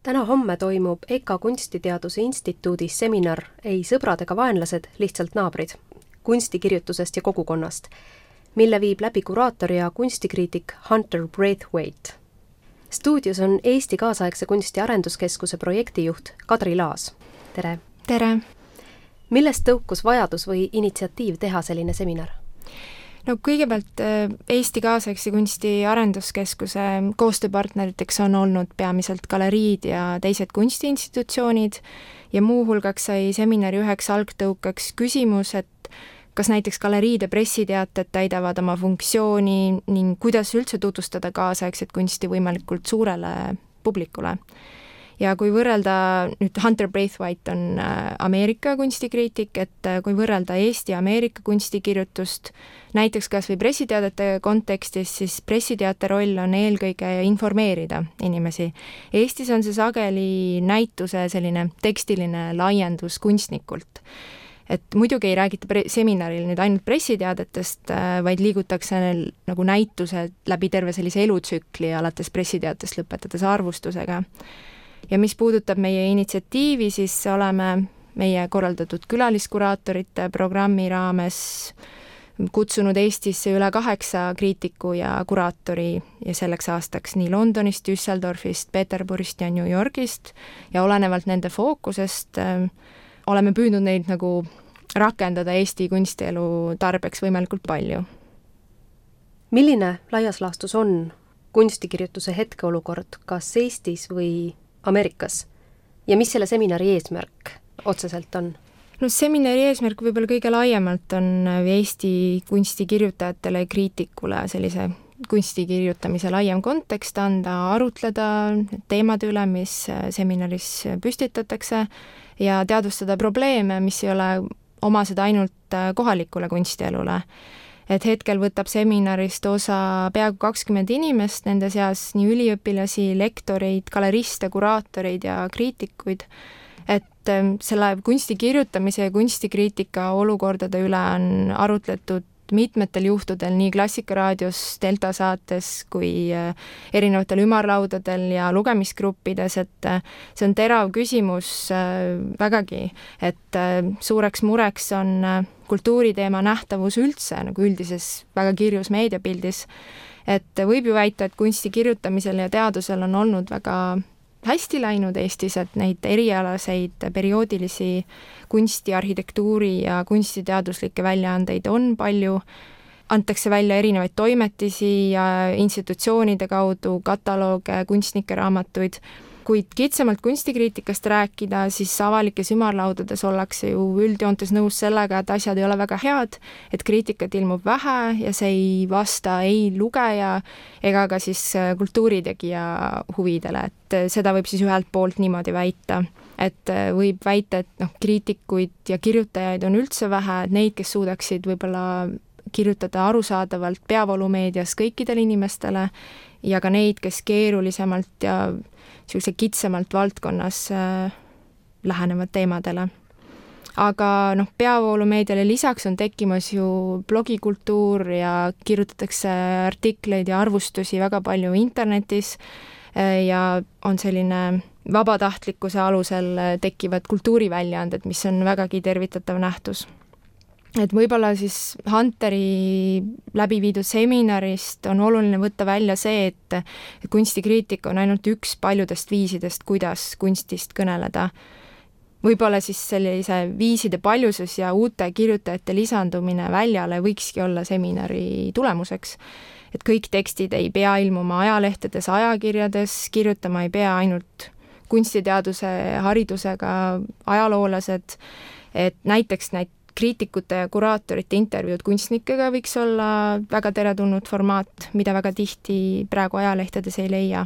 Täna-homme toimub EKA Kunstiteaduse Instituudis seminar Ei sõbrad ega vaenlased, lihtsalt naabrid, kunstikirjutusest ja kogukonnast, mille viib läbi kuraator ja kunstikriitik Hunter Braithwaite. Stuudios on Eesti kaasaegse kunsti arenduskeskuse projektijuht Kadri Laas. Tere! Tere! Millest tõukus vajadus või initsiatiiv teha selline seminar? No kõigepealt Eesti kaasaegse kunsti arenduskeskuse koostööpartneriteks on olnud peamiselt galeriid ja teised kunstiinstitutsioonid ja muuhulgaks sai seminari üheks algtõukaks küsimus, et kas näiteks galeriide pressiteated täidavad oma funktsiooni ning kuidas üldse tutvustada kaasaegset kunsti võimalikult suurele publikule. Ja kui võrrelda, nüüd Hunter Braithwaite on Ameerika kunstikriitik, et kui võrrelda Eesti ja Ameerika kunstikirjutust, näiteks kas või pressiteadete kontekstis, siis pressiteate roll on eelkõige informeerida inimesi. Eestis on see sageli näituse selline tekstiline laiendus kunstnikult. Et muidugi ei räägita seminaril nüüd ainult pressiteadetest, vaid liigutakse nagu näitused läbi terve sellise elutsükli, alates pressiteatest lõpetades arvustusega. Ja mis puudutab meie initsiatiivi, siis oleme meie korraldatud külaliskuraatorite programmi raames kutsunud Eestisse üle 8 kriitiku ja kuraatori ja selleks aastaks nii Londonist, Düsseldorfist, Peterburist ja New Yorgist ja olenevalt nende fookusest oleme püüdnud neid nagu rakendada Eesti kunstielu tarbeks võimalikult palju. Milline laias laastus on kunstikirjutuse hetkeolukord kas Eestis või Ameerikas ja mis selle seminari eesmärk otseselt on? No seminari eesmärk võib-olla kõige laiemalt on Eesti kunstikirjutajatele ja kriitikule sellise kunstikirjutamise laiem kontekst anda, arutleda teemade üle, mis seminaris püstitatakse ja teadvustada probleeme, mis ei ole omased ainult kohalikule kunstielule. Et hetkel võtab seminarist osa peaaegu 20 inimest, nende seas nii üliõpilasi, lektoreid, galeriste, kuraatoreid ja kriitikuid. Et selle kusti kirjutamise ja kunstikriitika olukordade üle on arutletud mitmetel juhtudel nii Klassikaraadios, Delta saates kui erinevatel ümarlaudadel ja lugemisgruppides, et see on terav küsimus vägagi, et suureks mureks on kultuuriteema nähtavus üldse nagu üldises väga kirjus meediapildis, et võib ju väita, et kunsti kirjutamisel ja teadusel on olnud väga hästi läinud Eestis, et neid erialaseid perioodilisi kunsti, arhitektuuri ja kunstiteaduslikke väljaandeid on palju, antakse välja erinevaid toimetisi ja institutsioonide kaudu katalooge, kunstnike raamatuid, kuid kitsamalt kunstikriitikast rääkida, siis avalikes ümarlaudades ollakse ju üldjoontes nõus sellega, et asjad ei ole väga head, et kriitikat ilmub vähe ja see ei vasta ei lugeja ega ka siis kultuuritegija huvidele, et seda võib siis ühelt poolt niimoodi väita. Et võib väita, et kriitikuid ja kirjutajaid on üldse vähe, et neid, kes suudaksid võib-olla kirjutada arusaadavalt peavoolumeedias kõikidele inimestele ja ka neid, kes keerulisemalt ja sellisel kitsamalt valdkonnas lähenevad teemadele. Aga peavoolumeediale lisaks on tekkimas ju blogikultuur ja kirjutatakse artikleid ja arvustusi väga palju internetis ja on selline vabatahtlikkuse alusel tekkivad kultuuriväljaanded, mis on vägagi tervitatav nähtus. Et võib-olla siis Hunteri läbi viidud seminarist on oluline võtta välja see, et kunstikriitika on ainult üks paljudest viisidest, kuidas kunstist kõneleda. Võib-olla siis sellise viiside paljusus ja uute kirjutajate lisandumine väljale võikski olla seminari tulemuseks. Et kõik tekstid ei pea ilmuma ajalehtedes, ajakirjades, kirjutama ei pea ainult kunstiteaduse haridusega ajaloolased, et näiteks kriitikute ja kuraatorite intervjuud kunstnikega võiks olla väga teretulnud formaat, mida väga tihti praegu ajalehtedes ei leia.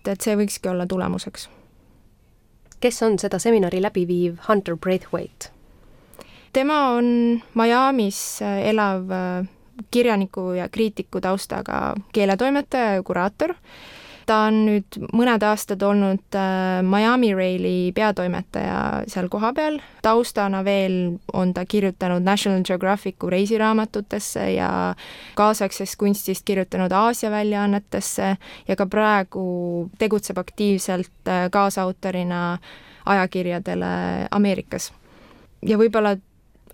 Et see võikski olla tulemuseks. Kes on seda seminari läbiviiv Hunter Braithwaite? Tema on Miamis elav kirjaniku ja kriitiku taustaga keeletoimetaja ja kuraator ta on nüüd mõned aastad olnud Miami Raili peatoimetaja seal kohapeal. Taustana veel on ta kirjutanud National Geographicu reisiraamatutesse ja kaasaegsest kunstist kirjutanud Aasia väljaannetesse ja ka praegu tegutseb aktiivselt kaasautorina ajakirjadele Ameerikas. Ja võib-olla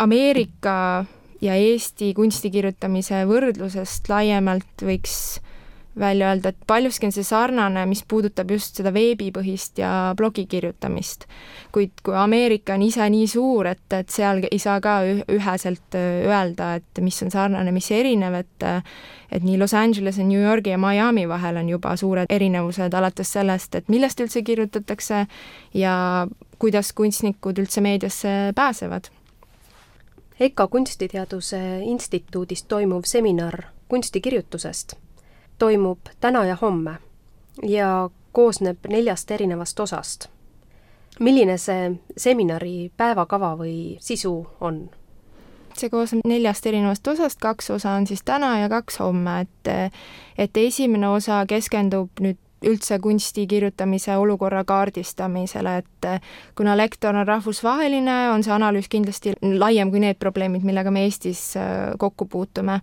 Ameerika ja Eesti kunstikirjutamise võrdlusest laiemalt võiks välja öelda, et paljuski on see sarnane, mis puudutab just seda veebipõhist ja blogi kirjutamist. Kuid kui Ameerika on ise nii suur, et seal ei saa ka üheselt öelda, et mis on sarnane, mis erinev, et nii Los Angelese, New Yorgi ja Miami vahel on juba suured erinevused alates sellest, et millest üldse kirjutatakse ja kuidas kunstnikud üldse meediasse pääsevad. EKA Kunstiteaduse Instituudis toimuv seminar kunstikirjutusest toimub täna ja homme ja koosneb 4 erinevast osast. Milline see seminari päevakava või sisu on? See koosneb 4 erinevast osast, 2 osa on siis täna ja 2 homme, et esimene osa keskendub nüüd üldse kunsti kirjutamise olukorra kaardistamisele, et kuna lektor on rahvusvaheline, on see analüüs kindlasti laiem kui need probleemid, millega me Eestis kokku puutume.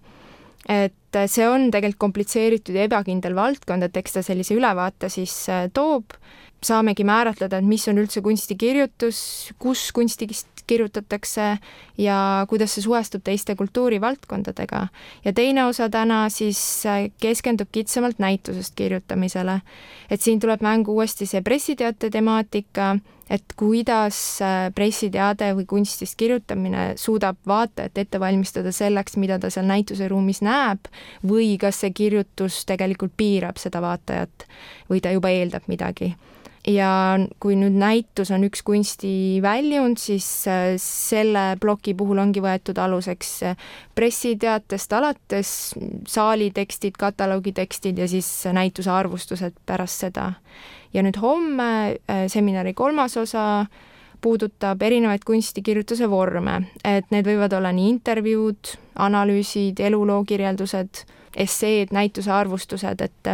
Et see on tegelikult komplitseeritud ja ebakindel valdkond, et eks ta sellise ülevaate siis toob. Saamegi määratleda, et mis on üldse kunstikirjutus, kus kunstikist kirjutatakse ja kuidas see suhestub teiste kultuurivaldkondadega. Ja teine osa täna siis keskendub kitsamalt näitusest kirjutamisele. Et siin tuleb mängu uuesti see pressiteate temaatika, et kuidas pressiteade või kunstist kirjutamine suudab vaatajat ette valmistada selleks, mida ta seal näituse ruumis näeb, või kas see kirjutus tegelikult piirab seda vaatajat või ta juba eeldab midagi. Ja kui nüüd näitus on üks kunstiväljund, siis selle ploki puhul ongi võetud aluseks pressiteatest alates saalitekstid, kataloogitekstid ja siis näituse arvustused pärast seda. Ja nüüd homme seminari 3. osa puudutab erinevaid kunstikirjutuse vorme, et need võivad olla nii intervjuud, analüüsid, elulookirjeldused, esseed, näituse arvustused, et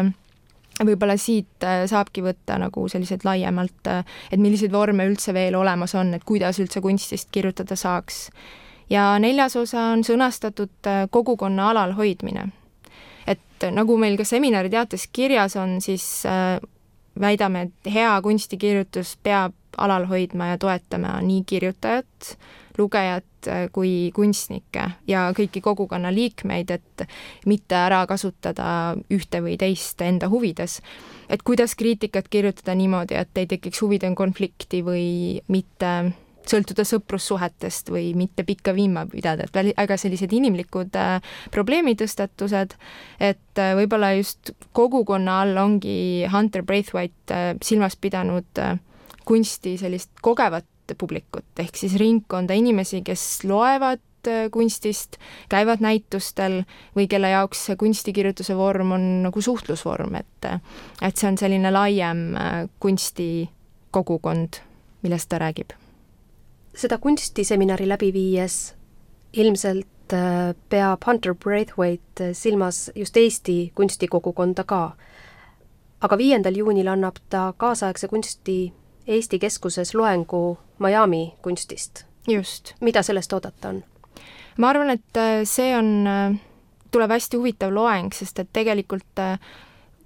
võib-olla siit saabki võtta nagu sellised laiemalt, et milliseid vorme üldse veel olemas on, et kuidas üldse kunstist kirjutada saaks. Ja 4. osa on sõnastatud kogukonna alalhoidmine. Et nagu meil ka seminari teates kirjas on, siis väidame, et hea kunstikirjutus peab alal hoidma ja toetama nii kirjutajat, lugejat kui kunstnikke ja kõiki kogukonna liikmeid, et mitte ära kasutada ühte või teist enda huvides. Et kuidas kriitikat kirjutada niimoodi, et ei tekiks huvide konflikti või mitte sõltuda sõprussuhetest või mitte pikka viima pidada, et väga sellised inimlikud probleemitõstatused, et võib-olla just kogukonna all ongi Hunter Braithwaite silmas pidanud kunsti sellist kogevat publikut, ehk siis ringkonda inimesi, kes loevad kunstist, käivad näitustel või kelle jaoks kunstikirjutuse vorm on nagu suhtlusvorm, et see on selline laiem kunstikogukond, millest ta räägib. Seda kunstiseminari läbi viies ilmselt peab Hunter Braithwaite silmas just Eesti kunstikogukonda ka. Aga 5. juunil annab ta kaasaegse kunsti Eesti keskuses loengu Miami kunstist. Just. Mida sellest oodata on? Ma arvan, et see tuleb hästi huvitav loeng, sest et tegelikult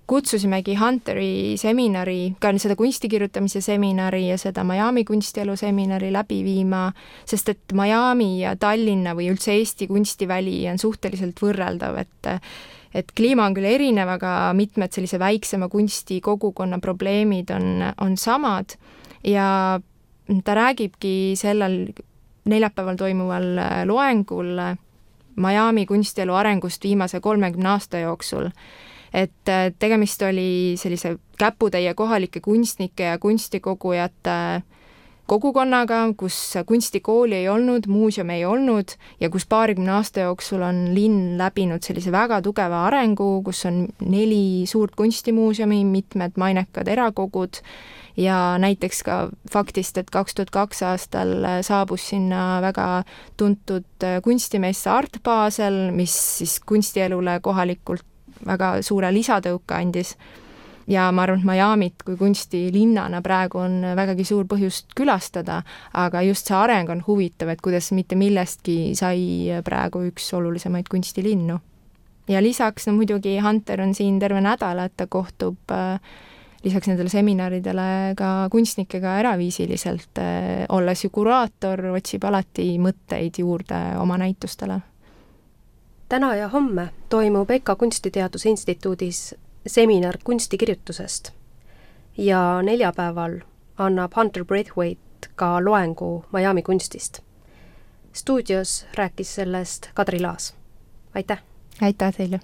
kutsusimegi Hunteri seminari, ka seda kunstikirjutamise seminari ja seda Miami kunstielu seminari läbi viima, sest et Miami ja Tallinna või üldse Eesti kunstiväli on suhteliselt võrreldav, et kliima on küll erinev, aga mitmed sellise väiksema kunstikogukonna probleemid on samad ja ta räägibki sellel neljapäeval toimuval loengul Miami kunstielu arengust viimase 30 aasta jooksul. Et tegemist oli sellise käputäie kohalike kunstnike ja kunstikogujate kogukonnaga, kus kunstikooli ei olnud, muuseum ei olnud ja kus 20 aasta jooksul on linn läbinud sellise väga tugeva arengu, kus on 4 suurt kunstimuuseumi, mitmed mainekad erakogud ja näiteks ka faktist, et 2002 aastal saabus sinna väga tuntud kunstimesse Art Basel, mis siis kunstielule kohalikult väga suure lisatõuke andis. ja ma arvan, et Miamit kui kunstilinnana praegu on vägagi suur põhjust külastada, aga just see areng on huvitav, et kuidas mitte millestki sai praegu üks olulisemaid kunstilinnu. Ja lisaks muidugi Hunter on siin terve nädal, et ta kohtub lisaks nendele seminaridele ka kunstnikega eraviisiliselt, olles ju kuraator, otsib alati mõtteid juurde oma näitustele. Täna ja homme toimub EKA Kunstiteaduse Instituudis seminar kunstikirjutusest ja neljapäeval annab Hunter Braithwaite ka loengu Miami kunstist. Stuudios rääkis sellest Kadri Laas. Aitäh! Aitäh teile!